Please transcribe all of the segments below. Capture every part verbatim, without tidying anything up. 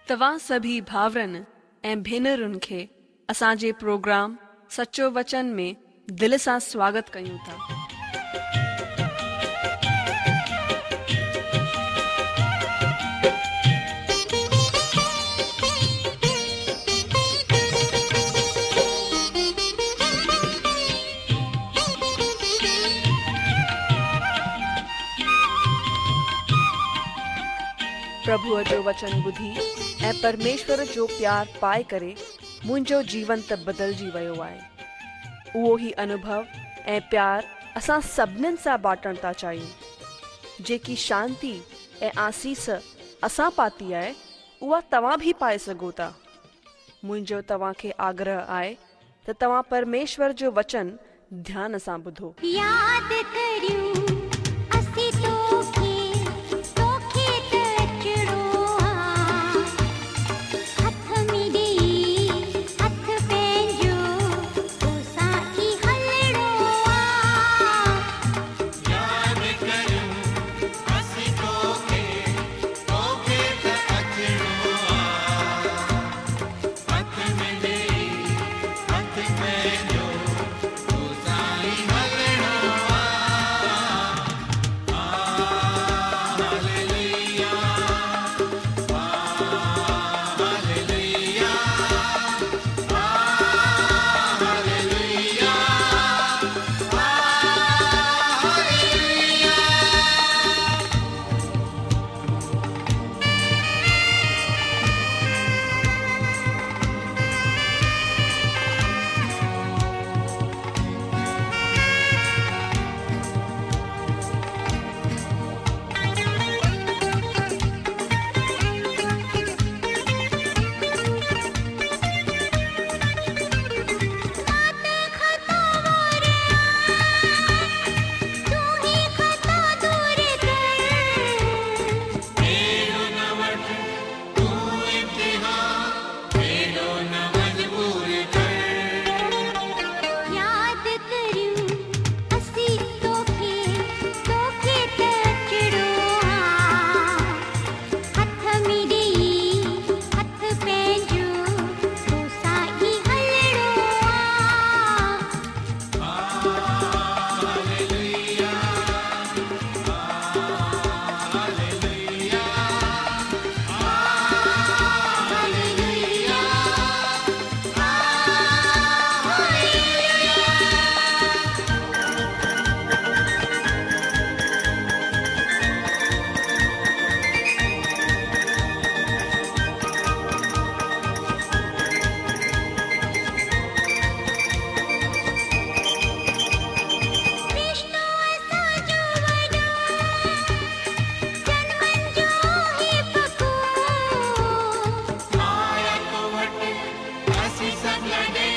توهان سڀئي ڀائرن ۽ ڀينرن کي اسان جي پروگرام سچو وچن ۾ دل سان سواگت ڪيون ٿا. پرڀوءَ جو وچن ٻڌي ۽ پرميشور جو پيار پائي ڪري منهنجو جيون ته بدلجي ويو آهي. اهو ئي انوڀو ۽ پيار اسان سڀنين سان بانٽڻ ٿا چاهيون. جيڪي شانتي ۽ آسيس اسان پاتي آهي اها توهان به پائي سگهو ٿا. منهنجو توهان کي آگرهه آهي ته توهان پرميشور جو وچن ڌيان سان ٻڌو. ياد ڪريون اسين توکي توکي ته اچڻو آ، هٿ ۾ ڏيئي هٿ پنهنجو توسان ئي هلڻو آ. ياد ڪريون اسين توکي توکي ته اچڻو آ، هٿ ۾ ڏيئي هٿ پنهنجو توسان ئي هلڻو آ. Hallelujah, hallelujah, hallelujah, hallelujah. مان ته خطا وار تون ئي خطا دور ڪر. اهڙو نه وٺ تون امتحان، اهڙو نه مجبور ڪر. ياد ڪريون اسين توکي توکي ته اچڻو آ، هٿ ۾ ڏيئي هٿ پنهنجو توسان ئي هلڻو آ. هاليلويا، هاليلويا، هاليلويا، رشتو اسان جو وڏو جنمن جو هي پڪو. آيا تو وٽ اسين سڀ لڏي،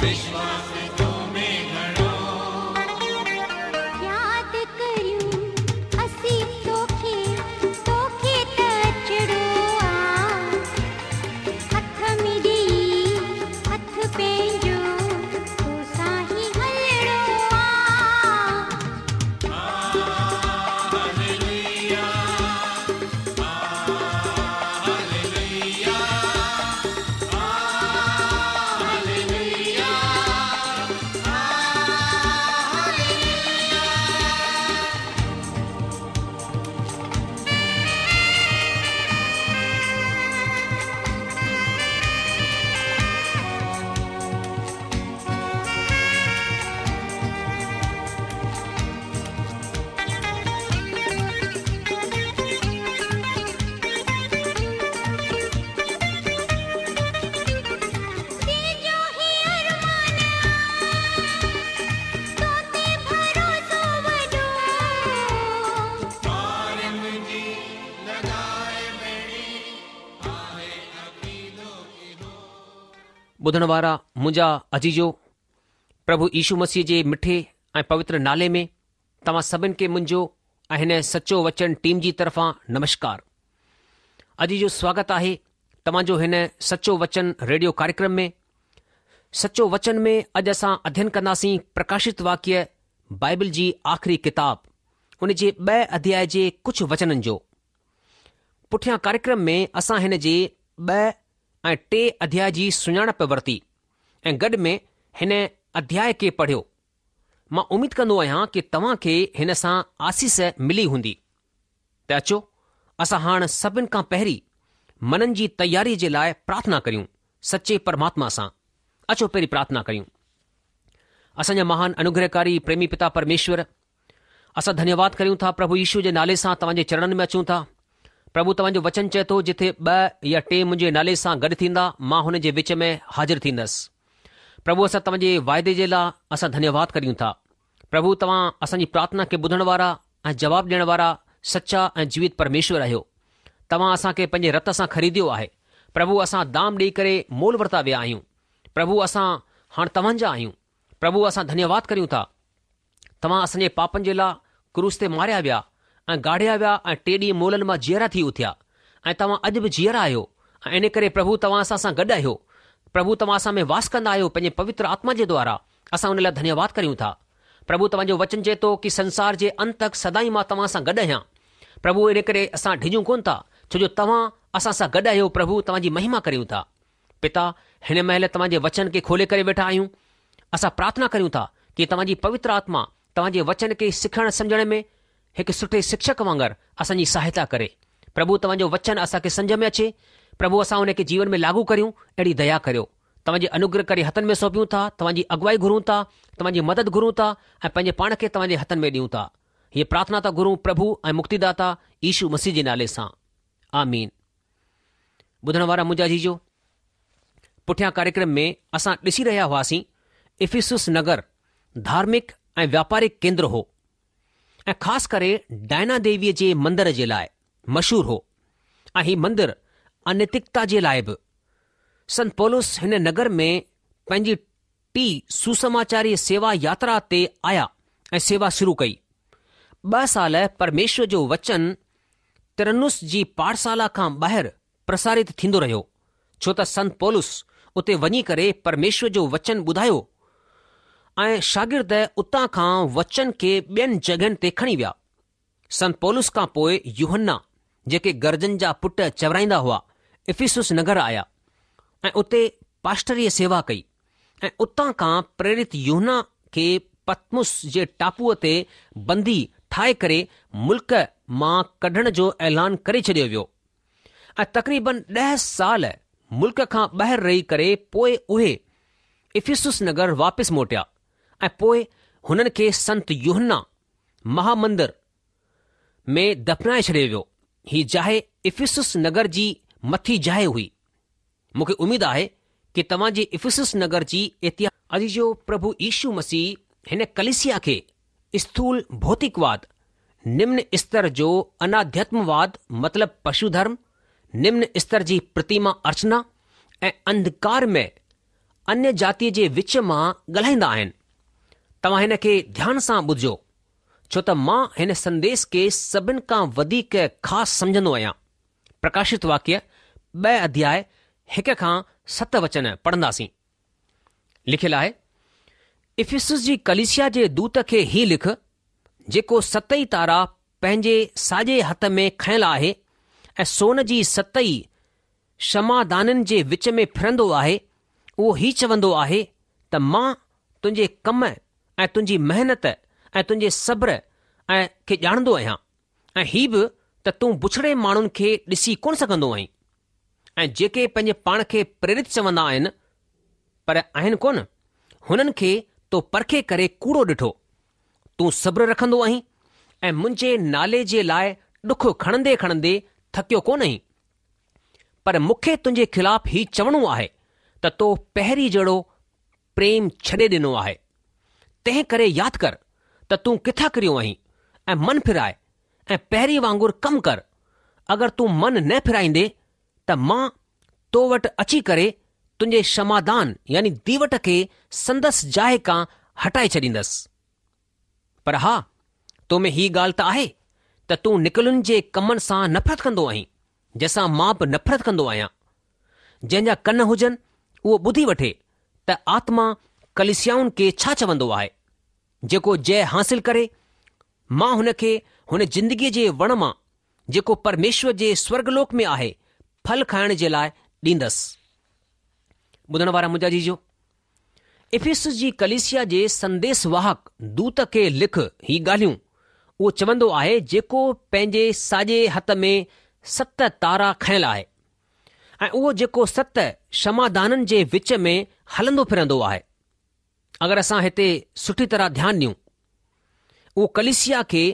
وشواس تو ۾ گهڻو. ياد ڪريون اسين توکي توکي ته اچڻو آ، هٿ ۾ ڏيئي هٿ پنهنجو توسان ئي هلڻو آ. Hallelujah, hallelujah, hallelujah, hallelujah. دل جو هي ارمان آ، تو تي ڀروسو وڏو. پار منهنجي لڳائي ٻيڙي، آهي عقيدو اهو. ٻڌڻ وارا منهنجا عزيزو، پرڀو يشو مسيح جي مٺي ۽ پوتر نالي ۾ توهان سڀن کي منهنجو ۽ هن سچو وچن ٽيم جي طرفان نمشڪار. عزيزو، سواگت آهي توهان جو هن سچو وچن ريڊيو ڪاريڪرم ۾. سچو وچن ۾ اڄ اسان اڌين ڪنداسين پرڪاشت واڪيه بائبل جي آخري ڪتاب ان جي ٻئي اڌياء جي ڪجهه وچنن جو. پٺيان ڪاريڪرم ۾ اسان هن جي ٻه ۽ ٽي اڌياء جي سڃاڻپ ورتي ۽ گڏ ۾ هن اڌياء کي پڙهيو. مان اميد ڪندو آهيان ڪي توهان کي هن سان آسيس ملي هوندي. ته اچو اسان هاڻ سڀن کان پهرين منن جي تياري جي لاء پرارٿنا ڪريون سچي پرماتما سان. اچو پهرين پرارٿنا ڪريون. اسان جا مهان انوگرهڪاري پريمي پتا پرميشور، اسان ڌنيواد ڪريون ٿا پرڀو يشو جي نالي سان توهان جي چرڻن ۾ اچون ٿا. پرڀو توهان جو وچن چئي ٿو جٿي ٻه يا ٽي منهنجي نالي سان گڏ ٿيندا مان هن جي وچ ۾ حاضر ٿيندس. پرڀو اسان توهان جي واعدي جي لاء اسان ڌنيواد ڪريون ٿا. پرڀو توهان اسان جي پرارٿنا کي ٻڌڻ وارا ۽ جواب ڏيڻ وارا سچا ۽ جيوت پرميشور آهيو. توهان اسان کي پنهنجي رت سان خريديو آهي. پرڀو اسان دام ڏيئي ڪري مول ورتا ويا آهيون. پرڀو اسان هاڻ توهان جا آهيون. پرڀو اسان ڌنيواد ڪريون ٿا. توهان اسان جي پاپن جي لاء ڪروس تي ماريا ويا ۽ گاڙيا ويا ۽ ٽي ڏينهن مئلن مان جيئرا ٿي اٿيا ۽ توهان اڄ به جيئرا آهيو ۽ ان ڪري پرڀو توهان اسان سان گڏ آهيو. پرڀو توهان اسان ۾ واس ڪندا آهيو پنهنجي پوتر آتما جي دوارا اسان ان لاء ڌنيواد ڪريون ٿا. پرڀو توهان جو وچن چئي ٿو ڪي سنسار جي انت تڪ سدائين مان توهان سان گڏ آهيان. پرڀو ان ڪري اسان ڊڄون ڪونه ٿا ڇو جو توهان اسان سان گڏ آهيو پرڀو توهان جي مهما ڪريون ٿا. پتا هن مهل توهان جي وچن کي کولي ڪري ويٺا آهيون. اسان پرارٿنا ڪريون ٿا ڪي توهان جي پوتر آتما توهان جي وچن کي سکڻ سمجهڻ ۾ هڪ سٺي شڪشڪ وانگر اسان جي سهائتا ڪري. پرڀو توهان جو وچن اسان کي سمجهه ۾ اچي. پرڀو اسان ان کي جيون ۾ لاڳو ڪريون اهڙي ديا ڪريو. توهان جي انوگرهڪاري هٿن ۾ سونپيون ٿا، توهان جي اڳوائي گهرون ٿا، توهان جي مدد گهرون ٿا ۽ پنهنجي پاڻ کي توهان جي هٿن ۾ ڏيون ٿا. هيء پرارٿنا ٿا گهرون پرڀو ۽ مڪتيداتا يشو مسيح جي نالي سان. آمين. ٻڌڻ وارا منهنجا عزيزو، پٺيان ڪاريڪرم ۾ اسان ڏسي رهيا هئاسين افسس نگر ڌارمڪ ۽ واپارڪ ڪيندر هو ۽ خاص ڪري ڊائنا ديويء جي مندر جي لاء مشهور هو ۽ هي مندر انيتڪتا جي لاء به. سنت پولس هن نگر ۾ پنهنجي ٽي سوسماچاري سيوا ياترا تي آيا ۽ سيوا شروع ڪئي. ٻه سال پرميشور جو وچن ترنس جي پاٺشالا کان ٻاهر پرسارت ٿيندو رهيو، ڇو ته سنت پولس اتي وڃي ڪري پرميشور جو وچن ٻڌايو ۽ شاگرد اتان کان وچن کي ٻين جڳهين تي کڻي ويا. سنت پولس کان پوء يوحنا، جيڪي گرجن جا پٽ چورائيندا هئا، افسس نگر آيا ۽ اتي پاسٽريء سيوا ڪئي ۽ اتان کان پريرت يوحنا کي پتمس جي ٽاپوء تي بندي ٺاهي ڪري ملڪ مان ڪڍڻ جو اعلان ڪري ڇڏيو ويو ۽ تقريبن ڏهه سال ملڪ کان ٻاهر رهي ڪري پوء اهي افسس نگر واپس موٽيا ۽ پوء هنن کي سنت يوحنا مهامندر ۾ دفنائي ڇڏيو ويو. هي جاء افسس نگر جي مٿي جاء هئي. مون کي اميد آهي ڪي توهان جي افسس نگر جي اتهاس. عزيزو پرڀو يشو مسيح هن ڪليسيا کي اسٿول ڀوتڪواد، نمن استر جو اناڌياتمواد مطلب پشو ڌرم، نمن استر جي پرتيما ارچنا ۽ انڌڪارمي انيه جاتيء جي وچ مان ڳالهائيندا آهن. توهان هن کي ڌيان سان ٻڌجو، ڇو ته مان هن سنديش کي سڀن کان وڌيڪ خاص سمجهندو آهيان. پرڪاشت واڪيه ٻه اڌياء هڪ کان ست وچن پڙهنداسين. لکيل آهي، افسس جي ڪليسيا جي دوت کي هي لک، جيڪو ست ئي تارا پنهنجي ساڄي هٿ ۾ کنيل آهي ۽ سون جي ست ئي شمعدانن جي وچ ۾ ڦرندو آهي، اهو هي چوندو آهي ته مان تنهنجي ڪم ۽ تنهنجي محنت ۽ تنهنجي صبر ۽ کي ڄاڻندو آهيان ۽ هي به ته تون بڇڙي ماڻهن کي ڏسي ڪونه سگهندو آهين ۽ جيڪي پنهنجي پاڻ کي پريرت چوندا آهن پر آهن ڪونه، هنن کي تو پرکي ڪري ڪوڙو ڏٺو. تون صبر رکندو آهين ۽ منهنجي نالي جي لاء ڏک کڻندي کڻندي ٿڪيو ڪونه آهين. پر مون کي تنهنجي خلاف هي چوڻو آهي ته تو پهرين جهڙو پريم ڇڏي ڏنو آهي. تنهن ڪري ياد ڪر ته تون ڪٿان ڪريو آهين ۽ من ڦيرائي ۽ پهرين وانگر ڪم ڪر. اگر تون من نه ڦيرائيندين ته مان تو وٽ اچي ڪري تنهنجي شمعدان يعني ديوٽ کي سندس جاء کان هٽائي ڇڏيندس. پر ها، تو ۾ هي ڳالهه ته آهي ته تون نڪولين جي ڪمن سان نفرت ڪندو آهين، جنهن سان مان به نفرت ڪندو آهيان. جنهن جا ڪن هجن، اهو ٻڌي وٺي ته آتما ڪليسيائن کي ڇا چوندو آهي. جيڪو جئه حاصل ڪري، مان هن کي هن زندگيء جي وڻ مان، جيڪو پرميشور جي سورڳلوڪ ۾ آهي، ڦل کائڻ جي لاء ڏيندس. ٻڌڻ وارا منهنجا عزيزو، افسس جي ڪليسيا جي سنديس واهڪ دوت کي لک هي ڳالهيون اهو چوندو آهي جيڪو پنهنجي ساڄي هٿ ۾ ست تارا کنيل آهي ۽ اهو جيڪو ست شمعدانن جي وچ ۾ هلندو ڦرندو آهي. اگر اسان هتي سٺي طرح ڌيان ڏيون، اهو ڪليسيا کي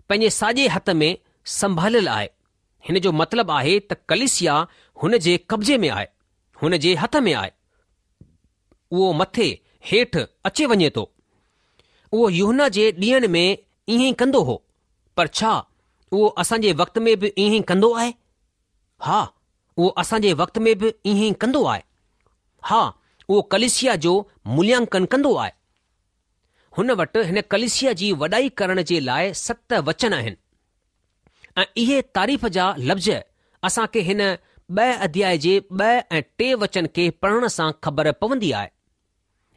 پنهنجي ساڄي هٿ ۾ سنڀاليل آهي. هن جو مطلب آهي ته ڪليسيا هن جي قبضي ۾ آهي، هن جي هٿ ۾ آهي. اهو مٿي هيٺ اچي وڃي ٿو. اهو يوحنا جي ڏينهن ۾ ائين ئي ڪندو هو، پر ڇا اهو اسان جي وقت ۾ به ائين ئي ڪندو آهي؟ ها، اهو اسان جي وقت ۾ به ائين ئي ڪندو آهي. ها، اهو ڪليسيا جو موليانڪن ڪندو آهي. هن وٽ هن ڪليسيا جي وڏائي ڪرڻ جي لاء ست وچن آهن ۽ اهي تعريف جا لفظ اسان کي هن ٻه اڌياء جي ٻه ۽ ٽي وچن کي پڙهڻ سان خبر پوندي آهي.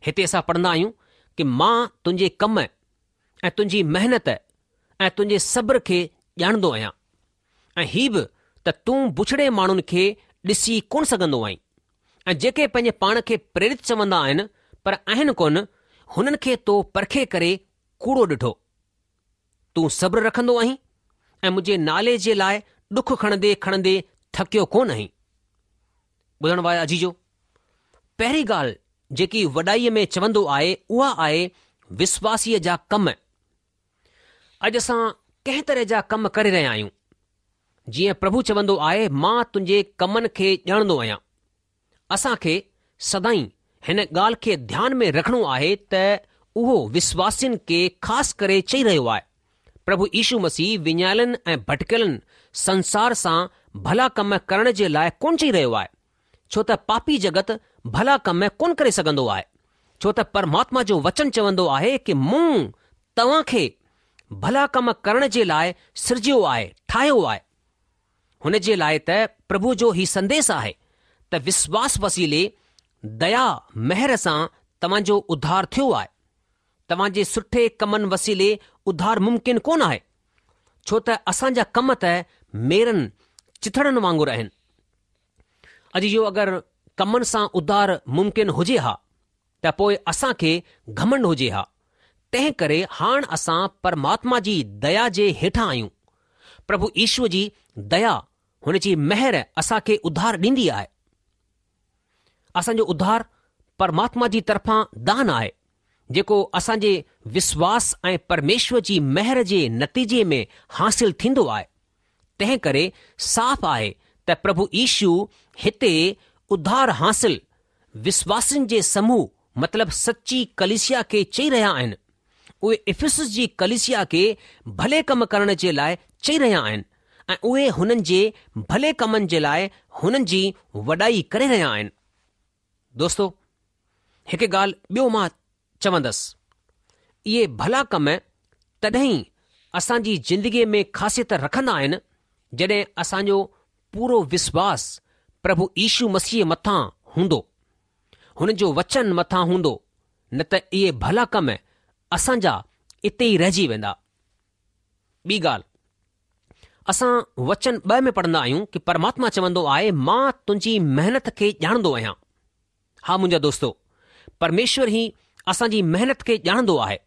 هتي اسان پڙهندا آهيون ڪه مان تنهنجي ڪم ۽ تنهنجي محنت ۽ تنهنجي صبر کي ڄاڻندو آهيان ۽ هي به ته تون بڇڙي ماڻهن کي ڏسي ڪونه سگهندو آهين ۽ جيڪي پنهنجي پاڻ کي پريرت چوندا آهن پر آهن ڪونه، هنن کي تو پرکي ڪري ڪوڙو ڏٺو. تون صبر رکندو آهين ۽ منهنجي نالي جي لاء ڏک کڻندي کڻندي ٿڪيو ڪونه آهين. ٻڌڻ وارا عزيزو! پهرين ڳالهه جيڪي وڏائيء ۾ چوندو آهي اها آهي وسواسيء جا ڪم. اڄ اسان ڪنهن طرح جا ڪم ڪري رهيا آهيون. جيئن پرڀو چوندو آهي مان تنهنجي ڪمن کي ڄاڻندو آهيان. اسان کي سدائين هن ڳالهه کي ڌيان ۾ رکڻو آهي ته اهو وسواسين کي خاص ڪري چئي رهيو آهي. پرڀو يشو مسيح وڃايلن ۽ ڀٽڪيلن سنسار سان ڀلا ڪم ڪرڻ جي لاء ڪونه چئي رهيو آهي. ڇو ته پاپي جڳت ڀلا ڪم ڪونه ڪري سگهندو آهي. ڇو ته پرماتما جو وچن چوندو آهي ڪه مون توهان کي ڀلا ڪم ڪرڻ جي لاء سرجيو آهي، ٺاهيو آهي. هن جي لاء ته پرڀو جو هي سنديس آهي ته وسواس وسيلي ديا مهر سان توهان جو اڌار ٿيو آهي. توهان جي سٺي ڪمن وسيلي اڌار ممڪن ڪونه آهي، ڇو ته اسان جا ڪم ته ميرن چٿڙن وانگر آهن. عزيزو اگر ڪمن سان اڌار ممڪن هجي ها ته پوء اسان کي گهمنڊ هجي ها. تنهن ڪري هاڻ اسان پرماتما جي ديا جي هيٺان آهيون. پرڀو يشو جي ديا، هن جي مهر اسان کي اڌار ڏيندي آهي. اسان جو اڌار پرماتما جي طرفان دان آهي، جيڪو اسان جي وسواس ۽ پرميشور جي مهر جي نتيجي ۾ حاصل ٿيندو آهي. تنهن ڪري صاف آهي ته پرڀو يشو هتي اڌار حاصل وسواسين جي سموهه مطلب سچي ڪليسيا کي چئي رهيا آهن. اهي افسس جي ڪليسيا کي ڀلي ڪم ڪرڻ جي لاء چئي رهيا آهن ۽ اهي هنن جي ڀلي ڪمن جي لاء هنن جي وڏائي ڪري رهيا آهن. دوستو هڪ ڳالهه ٻيو مان چوندس، اهي ڀلا ڪم تڏهن ئي اسان جي زندگيء ۾ خاصيت رکندا آهن، جڏهن اسان جو پورو وسواس پرڀو يشو مسيح مٿان هوندو، هن جو وچن مٿان هوندو، نه ته اهي ڀلا ڪم اسان جا اتي ئي رهجي ويندا. ٻي ڳالهه، اسان وچن ٻه ۾ پڙهندا آهيون ڪه پرماتما چوندو آهي مان تنهنجي محنت کي ڄاڻندو آهيان. ها منهنجا دوستو، پرميشور ئي اسان جي محنت کي ڄاڻندو آهي،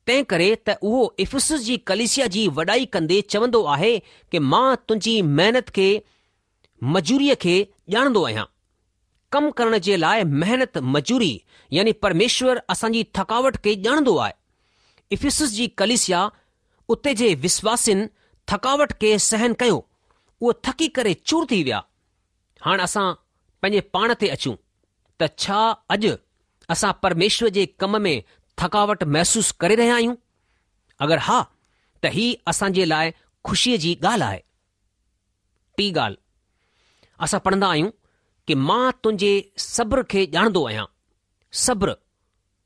تنهن ڪري ته اهو افسس جي ڪليسيا جي وڏائي ڪندي چوندو آهي ڪه مان تنهنجي محنت کي، مزوريء کي ڄاڻندو آهيان. ڪم ڪرڻ جي لاء محنت مزوري يعني پرميشور اسان جي ٿڪاوٽ کي ڄاڻندو آهي. افسس جي ڪليسيا اتي جي وسواسين ٿڪاوٽ کي سهن ڪيو، اهي ٿڪي ڪري چور ٿي ويا. هاڻ اسان پنهنجي پاڻ تي اچون ته ڇا اڄ اسان پرميشور جي ڪم ۾ ٿڪاوٽ محسوس ڪري رهيا آهيون؟ اگر ها ته هي اسان جي لاء خوشيء جي ڳالهه آهي. ٽي ڳالهه، اسان پڙهندا آهيون ڪه مان تنهنجي صبر کي ڄاڻندو آهيان. صبر،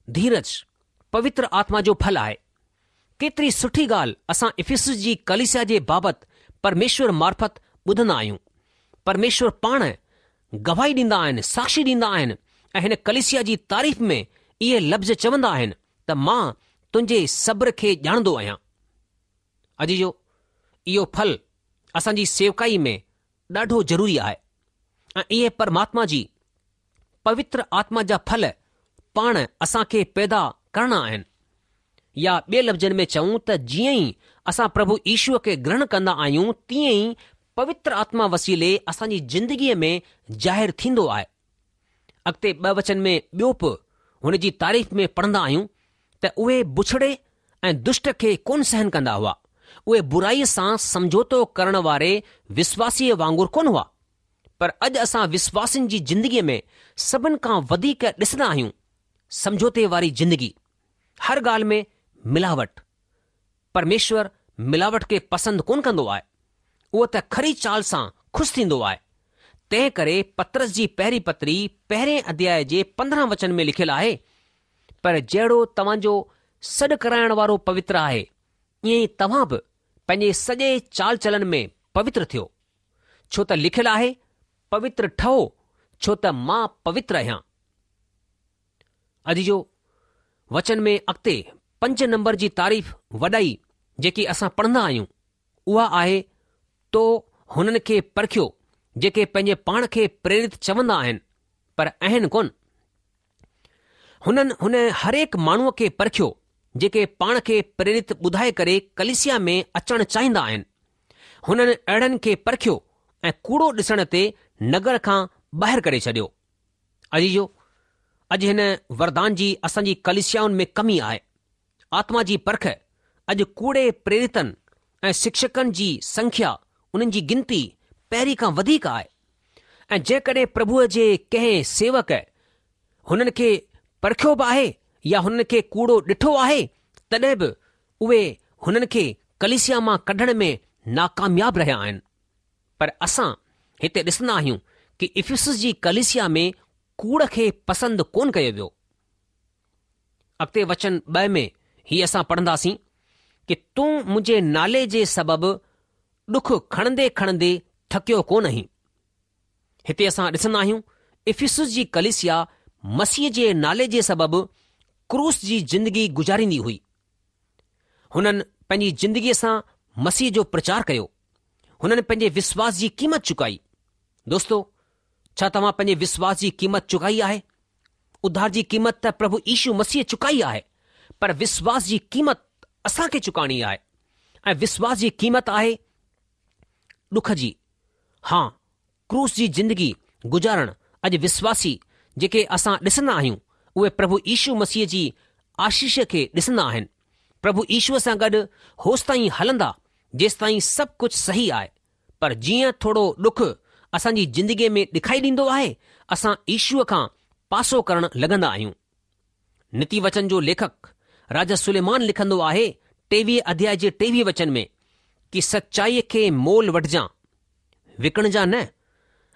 ڌيرج، پوتر آتما جو ڦل آهي. ڪيتري سٺي ڳالهه اسان افسس جي ڪليسيا جي بابت پرميشور معرفت ٻڌندا آهيون. پرميشور پاڻ گواهي ڏيندا آهن، ساکشي ڏيندا آهن ۽ هن ڪليسيا جي تعريف ۾ اهي لفظ چوندا آهن ته مان تنهنجي صبر کي ڄاڻندو آهيان. عزيزو، اهو ڦل اسان جي سيوڪائي ۾ ڏاڍو ضروري آهي. ۽ اهي پرماتما جي پوتر آتما جا ڦل پاڻ اسان کي پيدا ڪرڻا آهن. يا ٻئي لفظن ۾ چئون ته جيئن ئي اسان پرڀو يشوء کي گرهڻ ڪندا آهيون تيئن ئي پوتر آتما وسيلي اسان جي زندگيء ۾ ظاهر ٿيندو آهي. اڳتي ٻه وچن ۾ ٻيو به هن جي تعريف ۾ پڙهندا آهيون ته اهي بڇڙي ۽ دشٽ کي ڪونه سهن ڪندا هئا. اهي برائيء سان سمجهوتو ڪرڻ واري وشواسيء وانگر ڪونه هئا. پر اڄ اسان وشواسين جي زندگيء ۾ سڀن کان وڌيڪ ڏسندا آهيون سمجهوتي واري زندگي، هر ڳالهه ۾ ملاوٽ. پرميشور ملاوٽ کي پسند ڪونه ڪندو آهي. اهو ته کري چال سان خوش ٿيندو آهي. تنهن ڪري پطرس جي پهرين پتري پهرين اڌياء جي پندرهن وچن ۾ لکيل آهي، پر جهڙو توهان جو سڏ ڪرائڻ وارو پوتر آهي، ائين ئي توهان به پنهنجي سڄي چال چلن ۾ پوتر ٿيو. ڇو ته لکيل آهي، پوتر ٺهو، ڇو ته مان پوتر آهيان. عزيزو، وچن ۾ اڳتي پنج نمبر جي تعريف وڏائي جيڪي اسان پڙهندا آهيون، اها آهي، تو هنن کي پرکيو جيڪي پنهنجي پاڻ کي پريرت چوندا آهن، پر آهن ڪونه. هنن هن هرهڪ ماڻهوء کي پرکيو جيڪي پاڻ کي پريرت ٻڌائي ڪري ڪليسيا ۾ اچڻ چاهيندا آهن. هنن اهڙن کي پرکيو ۽ ڪوڙو ڏسڻ تي نگر کان ٻاهر ڪري ڇڏيو. عزيزو، اڄ هن وردان جي اسان جي ڪليسيائن ۾ ڪمي آهي. آتما جي پرک اڄ ڪوڙي پريرتن ۽ شڪشڪن جي سنکيا، انهن جي گنتي پهرين کان وڌيڪ آهي ۽ جيڪڏهن پرڀوء جي ڪنهن سيوڪ هنن کي پرکيو به آهي يا هنن کي ڪوڙو ڏٺو آهي تڏهن به اهي هنن کي ڪليسيا مان ڪڍڻ ۾ ناڪامياب رهيا آهن. پر اسان هتي ڏسندا آهيون ڪي افسس جي ڪليسيا ۾ ڪوڙ کي پسند ڪونه ڪيو ويو. اڳتي وچن ٻه ۾ هي اسان پڙهنداسين ڪي تون منهنجي نالي جي سبب ڏک کڻندي کڻندي ٿڪيو ڪونه آهين. هتي اسان ڏسندا آهيون افسس جي ڪليسيا مسيح جي نالي جي سبب ڪروس جي زندگي گذاريندي هئي. هنن پنهنجي زندگيء سان مسيح جو پرچار ڪيو. هنن پنهنجي وشواس جي قيمت چڪائي. دوستو، ڇا توهان پنهنجي وشواس جي قيمت چڪائي آهي؟ اڌار جي قيمت ته پرڀو يشو مسيح چڪائي آهي، پر وشواس جي قيمت اسان کي چڪائڻي آهي ۽ وشواس جي قيمت آهي ڏک جي، ها ڪروس جي زندگي گذارڻ. اڄ وشواسي جيڪي اسان ڏسندا آهيون، اهي پرڀو يشو مسيح جي آشيش کي ڏسندا آهن. پرڀو يشوء سان گڏ هوستائين هلندا جيستائين سڀ ڪجهه صحيح آهي. پر جيئن ٿورو ڏک اسان جي زندگيء ۾ ڏکائي ڏيندو آهي، اسان يشوء کان پاسو ڪرڻ لڳندا آهيون. نيتي وچن جو ليکڪ راجا سليمان لکندو آهي ٽيويهه اڌياء جي ٽيويهه وچن ۾ ڪي سچائيء کي مول وٺجان، وڪڻجان نه،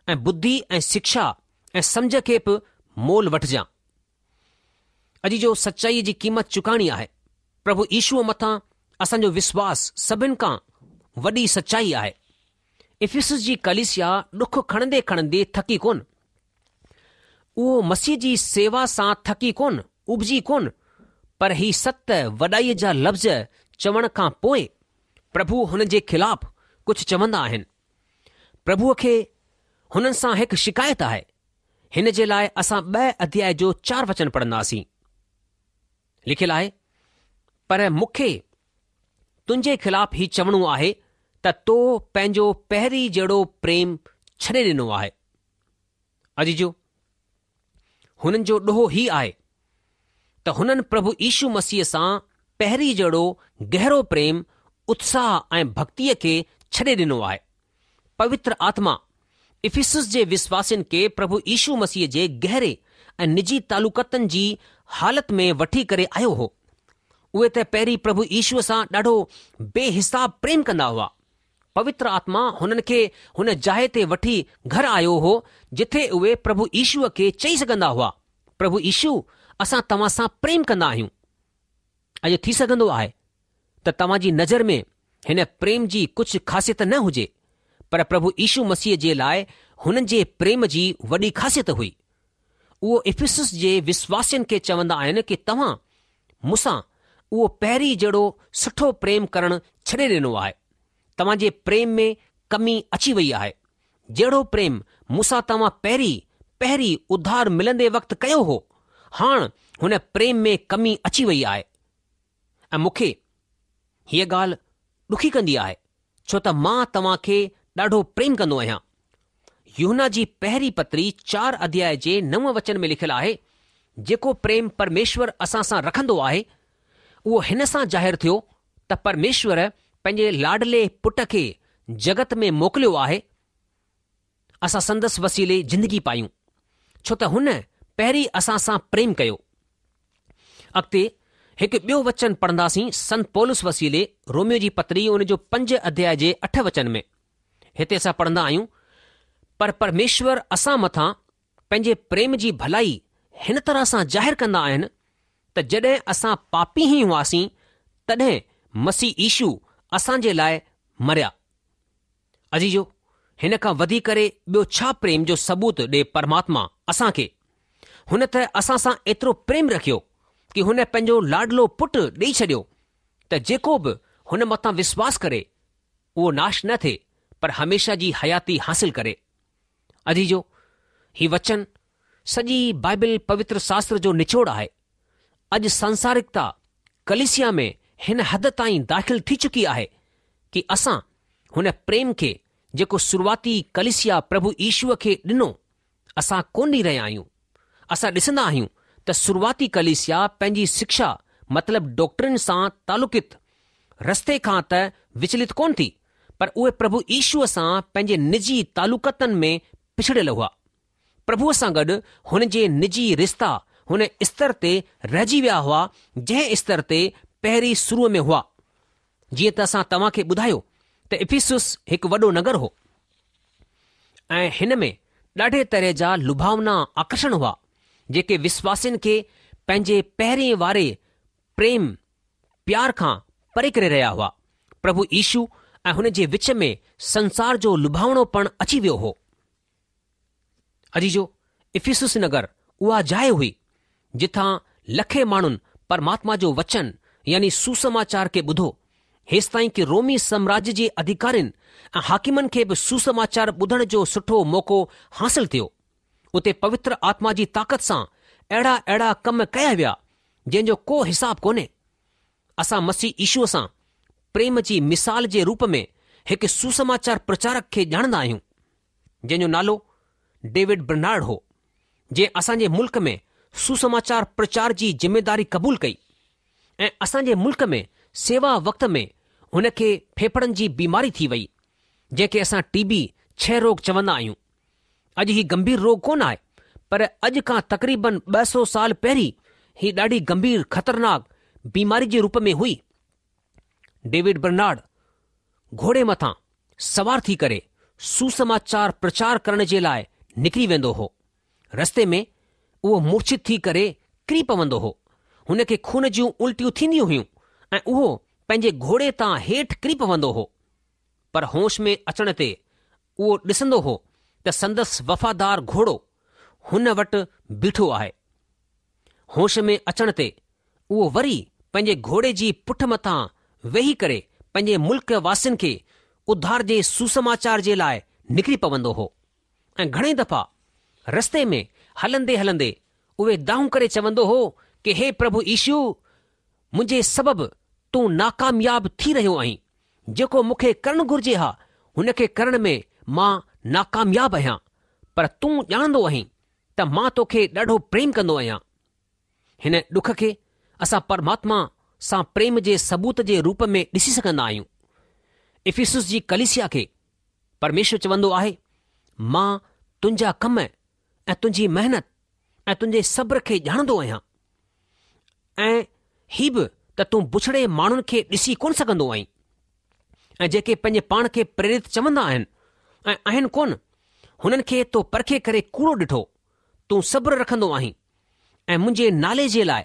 ۽ ٻڌي ۽ شڪشا ۽ سمجهه کي به مول وٺجان. عزيزو سچائيء جي قيمت چڪائڻي آهي. پرڀو يشوء مٿان اسان جو وشواس سڀن کان وڏي سچائي آهي. افسس جي ڪليسيا ڏک کڻندي کڻندي ٿڪي ڪونه. اهو مسيح جي سيوا سان ٿڪي ڪونه، ابجي ڪونه، پر هي ست وڏائيء جا لفظ چوڻ کان پوء پرڀو هن جي خلاف ڪجهه چوندا آهن. پرڀوء کي هنن سان هڪ شڪايت آهي. هن جي لاء اسان ٻه اڌياء جو چار وچن پڙهنداسين. لکيل آهي، پر مون کي تنهنجي خلاف هي چوڻو آهي ته تو پنهنجو پهرين جهڙو پريم ڇڏي ڏنو آهي. عزيزو، هنن جو ڏوهه هي آهي ته هنن پرڀو يشو مسيح سان پهرين جهڙو گهرو پريم، اتساهه ۽ ڀڳتيء کي ڇڏي ڏنو آهي. پوتر آتما افسس جي وشواسين کي پرڀو يشو مسيح جي گهري ۽ نجي تعلقاتن جي حالت ۾ وٺي ڪري آيو هو. اهي ته پهرين پرڀو يشوء سان ڏاڍو بي حساب پريم ڪندا هئا. پوتر آتما هنن کي هن جاء تي وٺي گهر آيو هو جٿي اهي پرڀو يشوء کي چئي سگهندا هئا، پرڀو يشو اسان توهان سان پريم ڪندا آهيون. اڄ ٿي سگهندو آهي ته توهان جي نظر ۾ هن پريم جي ڪجهه خاصيت نه هجي، پر پرڀو يشو مسيح جي لاء هنن جي پريم جي وڏي خاصيت هئي. اهو افسس جي وشواسين کي چوندا آهن ڪي توهان مون سان اهو پهرين جهڙو سٺو پريم ڪرڻ ڇڏي ڏنو آهي. توهان جي پريم ۾ ڪمي اچي وئي آهي. جهڙو پريم مون سان توهان پهرين پهرين اڌار ملندي وقت ڪيو هو، هاڻ هن پريم ۾ ڪمي اچي وئي آهي. ۽ مون کي هيء ڳالهه ڏکي ڪندي آهي، ڇو ته مان توهان کي ڏاڍو پريم ڪندو آهيان. يوحنا جي پهرين پتري چار اڌياء جي نو وچن ۾ لکيل آهي، جيڪو پريم پرميشور اسان سان رکندو آهي، اهو هن سان ظاهر ٿيو ته پرميشور پنهنجي لاڏلي پٽ کي جڳت ۾ موڪليو آهي، اسان سندس وسيلي زندگي پايون، ڇو ته هن پهرين اسان سان پريم ڪيو. اڳتي هڪ ٻيو وچن پڙهنداسين سنت پولس وسيلي روميو جي پتري ان جو پنج اڌياء جي اٺ وچن ۾. هتي اسان پڙهندا آهيون، پر پرميشور اسان مٿان پنهنجي پريم جي ڀلائي هن طرح سان ظاهر ڪندا آهن ته جڏهن اسان پاپي ئي هئاسين تڏهن مسيح يشو اسان جي لاء مريا. عزيزو! هن کان وڌي ڪري ٻيو ڇا پريم جو ثبوت ڏي پرماتما اسان کي؟ هن ته اسان سان ايترو پريم رکيو ڪي هن پنهنجو لاڏلو پٽ ڏيئي ڇڏيو ته جيڪو به هن مٿان وشواس ڪري اهو ناش نه ٿئي پر هميشه جي حياتي حاصل ڪري. عزيزو! هي وچن سڄي بائبل پوتر شاستر جو نچوڙ آهي. اڄ سانسارڪتا ڪليسيا ۾ هن حد تائين داخل ٿي چڪي آهي ڪي اسان هن پريم کي جيڪو شروعاتي ڪليسيا پرڀو يشوء کي ڏنو اسان ڪونه ڏئي رهيا آهيون. اسان ڏسندا آهيون ته شروعاتي ڪليسيا پنهنجي شکشا مطلب ڊاڪٽرين سان تعلقت رستي کان ته وچلت ڪونه ٿي پر اهي پرڀو يشوء سان پنهنجي نجي تعلقاتن ۾ پڇڙيل هئا. پرڀوء سان گڏ هن جي نجي رشتا هن استر تي رهجي ويا هئا جنهن استر تي پهرين شروع ۾ هئا. جيئن ته اسان توهان کي ٻڌايو ته افسس هڪ وڏو نگر هو ۽ هن ۾ ڏاڍي طرح جا لڀاونا آڪرشڻ هئا جيڪي وشواسين کي پنهنجي پهرين واري پريم پيار کان پري ڪري رهيا هئا. پرڀو يشو ۽ هن جي وچ ۾ سنسار جو لڀاوڻوپڻ اچي ويو هو. عزيزو! افسس نگر اها جاء هئي، جتان لکين ماڻهن پرماتما جو وچن يعني سوسماچار کي ٻڌو، هيستائين ڪي رومي سامراجيه جي اڌيڪارين ۽ حاڪمن کي به سوسماچار ٻڌڻ جو سٺو موقعو حاصل ٿيو. اتي پوتر آتما جي طاقت سان اهڙا اهڙا ڪم ڪيا ويا، جنهن جو ڪو حساب ڪونهي. اسان مسيح يشوء سان پريم جي مثال جي روپ ۾ هڪ سوسماچار پرچارڪ کي ڄاڻندا آهيون. جنهن جو نالو ڊيوڊ برنارڊ هو، جنهن اسان جي ملڪ ۾ سوسماچار پرچار جي ذميداري قبول ڪئي ۽ اسان جي ملڪ ۾ سيوا وقت ۾ هن کي ڦيڦڙن جي بيماري ٿي وئي، جنهن کي اسان ٽي بي ڇهه روڳ چوندا آهيون. اڄ هي گنڀير روڳ ڪونه آهي، پر اڄ کان تقريبن ٻه سؤ سال پهرين هي ڏاڍي گنڀير خطرناڪ بيماري جي روپ ۾ هئي. ڊيوڊ برنارڊ گهوڙي مٿان سوار ٿي ڪري سوسماچار پرچار ڪرڻ جي لاء نڪري ويندو هو. رستي ۾ اهو مورڇت ٿي ڪري ڪري پوندو هو. هن کي خون جون الٽيون ٿينديون هيون ۽ اهو پنهنجي گهوڙي تان هيٺ ڪري پوندو هو. پر هوش ۾ اچڻ تي اهو ڏسندو هو ته سندس وفادار گهوڙو هن وٽ بيٺو آهي. هوش ۾ اچڻ تي اهو وري پنهنجي گهوڙي جي پٺ مٿان ويهي ڪري پنهنجي ملڪ واسين کي اڌار جي سوسماچار جي لاء نڪري پوندو هو ۽ گهڻي دفعا رستي ۾ هلندي هلندي اهي دانهون ڪري چوندو هو ڪي هي پرڀو يشو منهنجي سبب تون ناڪامياب ٿي رهيو آهين جيڪو مون کي ڪرڻ گهرجي ها هن کي ڪرڻ ۾ مان ناڪامياب آهيان پر تون ڄاڻندو آهين ته مان توکي ڏاڍو پريم ڪندو آهيان. هن ڏک کي اسان پرماتما سان پريم جي ثبوت جي روپ ۾ ڏسي سگهندا آهيون. افسس جي ڪليسيا کي پرميشور چوندو آهي، مان تنهنجا ڪم ۽ تنهنجي محنت ۽ تنهنجي صبر کي ڄاڻندو آهيان ۽ هي به ته تون بڇڙي ماڻهن کي ڏسي ڪونه سگهندو آهين ۽ جيڪي پنهنجي پاڻ کي پريرت چوندا آهن ۽ آهن ڪونه، هنن کي تو پرکي ڪري ڪوڙو ڏٺو. تون صبر رکندو آهين ۽ منهنجي نالي جي لاء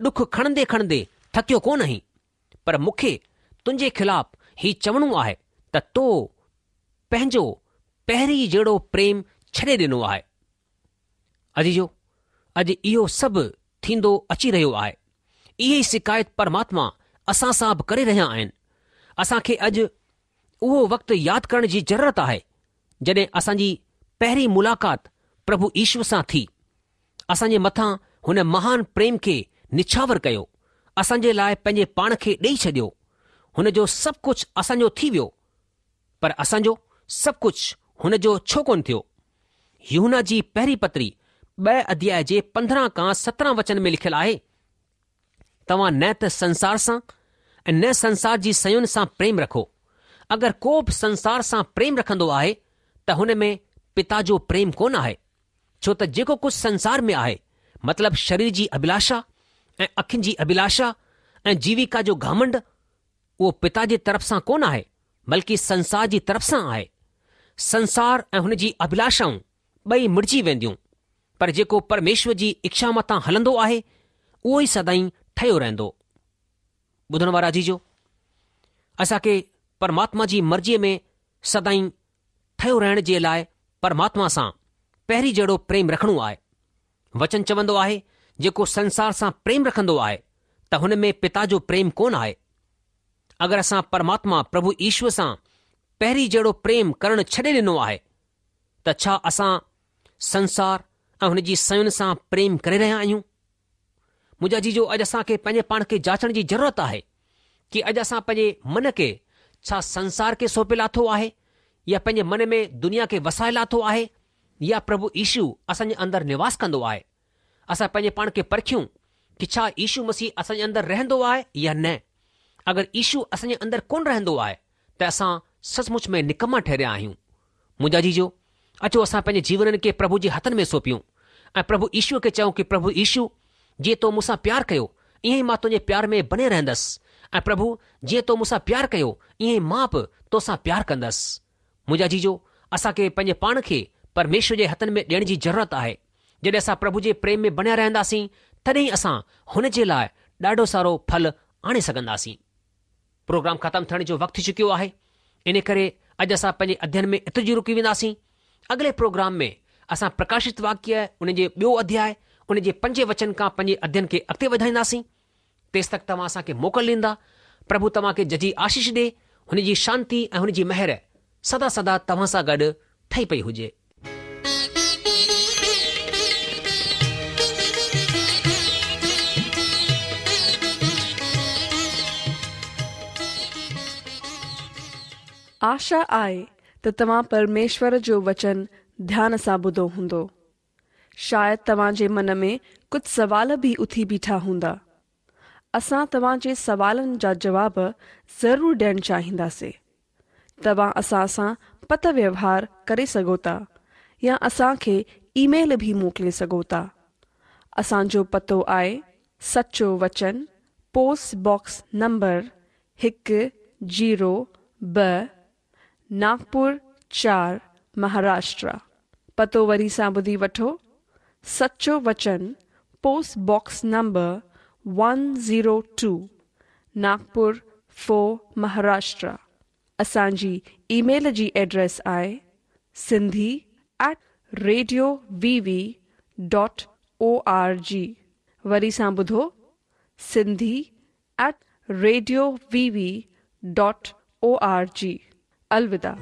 ڏک کڻندي کڻندي ٿڪيو ڪونه آهين، پر مون کي تنهنجي خلاف هي چوڻو آهي ته تو پنهنجو پهرين جهڙو پريم ڇڏي ڏنو آهي. عزيزو، اڄ اهو سڀ ٿيندو اچي رهيو آهي. اهي ئي شڪايت پرماتما اسان سان به ڪري رهيا آهن. اسان کي اڄ اهو وقت ياد ڪرڻ جي ضرورت آهي، جڏهن اسان جي پهرين ملاقات پرڀو يشو سان ٿي. اسان جي مٿان هن مهان پريم کي نڇاور ڪيو، اسان جي لاءِ پنهنجي پاڻ کي ڏيئي ڇڏيو. هن جو سڀ ڪجهه اسان جو ٿي ويو، پر اسان جو سڀ ڪجهه هن جو ڇو ڪونه ٿيو؟ يوحنا جي پهرين پتري ٻه اڌياءِ جي پندرهن کان سترهن وچن ۾ لکيل آهي، توهان نه ته سنسار سان ۽ نه سنسار جي شين سان پريم رکو. اگر ڪو به سنسار سان پريم رکندو آهي ته هن ۾ پتا جو پريم ڪونه آهي، ڇو ته جيڪو ڪجهه سنسار ۾ آهي، مطلب شرير جي اڀلاشا ۽ اکين جي اڀلاشا ۽ جيوڪا جو گهمنڊ، اهو پتا جي طرف سان ڪونه آهي، بلڪه سنسار جي طرف سان آهي. سنسار ۽ هن جي اڀلاشائون ٻئي مڙجي وينديون، پر جيڪو پرميشور جي اڇا مٿان هلندو آهي اهو ئي سدائين ٺهيو رهندو. ٻڌڻ وارا عزيزو، اسان کي پرماتما جي مرضيءَ ۾ سدائين ٺهيو رهڻ جي لاءِ پرماتما سان پهرين جهڙو پريم رکڻو آهي. وچن چوندو آهي، جيڪو سنسار سان پريم رکندو آهي ته هن ۾ پتا جو پريم ڪونه آهي. اگر اسان پرماتما پرڀو ايشور سان پهرين جهڙو پريم ڪرڻ ڇڏي ڏنو آهي ته ڇا اسان سنسار ۽ هن جي شين سان پريم ڪري رهيا آهيون؟ منهنجا عزيزو، اڄ اسان کي پنهنجي پاڻ کي جاچڻ جي ضرورت آهي ڪه اڄ اسان پنهنجي من کي ڇا سنسار کي سونپي لاٿو آهي يا پنهنجي من ۾ دنيا کي وسائي لاٿو آهي يا پرڀو يشو اسان جي اندر نواس ڪندو آهي. اسان پنهنجي پاڻ کي پرکيون ڪه ڇا يشو مسيح اسان جي اندر رهندو آهي يا نه. اگر يشو اسان جي اندر ڪونه رهندو آهي ته اسان سچ مچ ۾ نڪما ٺهريا آهيون. منهنجا عزيزو، اچو اسان پنهنجي جيون کي پرڀو جي هٿن ۾ سونپيون ۽ پرڀو يشوءَ کي چئون ڪه پرڀو يشو، جيئن تو مون سان پيار ڪيو ائين ئي مان تنهنجي پيار ۾ بڻي رهندس ۽ پرڀو جيئن تو مون سان پيار ڪيو ائين ئي مان به تو سان پيار ڪندس. منهنجا عزيزو، اسان کي پنهنجي پاڻ کي پرميشور جي هٿن ۾ ڏيڻ جي ضرورت آهي. جڏهن اسان پرڀو جي پريم ۾ بڻيا رهنداسين تڏهن اسان هن جي لاءِ ڏاڍو سارو ڦل آڻي سگهنداسين. پروگرام ختم ٿيڻ جو وقت ٿي چڪيو آهي، ان ڪري اڄ اسان پنهنجي اڌيين ۾ ايترو ئي رڪي وينداسين. اڳلي پروگرام ۾ اسان پرڪاشت واڪيه ان جي ٻيو اڌياءِ ان جي پنجين وچن کان پنهنجي اڌيين کي اڳتي وڌائينداسين. تيس تڪ توهان اسان کي موڪل ڏيندا. پرڀو توهان کي جهجهي آشيش ڏي. هن جي شانتي ۽ هن جي مهر سدا سدا توهان سان گڏ ٺهي پئي هجي. آشا آهي ته توهان پرميشور جو وچن ڌيان سان ٻڌو هوندو. شايد توهان جي من ۾ ڪجهه سوال به اٿي بيٺا هوندا. اسان توهان جي سوالن جا جواب ضرور ڏيڻ چاهينداسين. توهان اسان سان پتر ويوهار ڪري سگهو ٿا يا اسان کي اي ميل به موڪلي سگهو ٿا. اسان جو پتو آهي سچو وچن، پوسٽ باڪس نمبر هڪ زيرو ٻه، ناگپور چار، مهاراشٽر. پتو وري سان ٻڌي وٺو، سچو وچن، post box number one zero two, Nagpur four, Maharashtra. اسان جي اي ميل جي ايڊريس آهي Sindhi at radio V V dot O R G. وري سان ٻڌو، Sindhi at radio V V dot O R G. الوداع.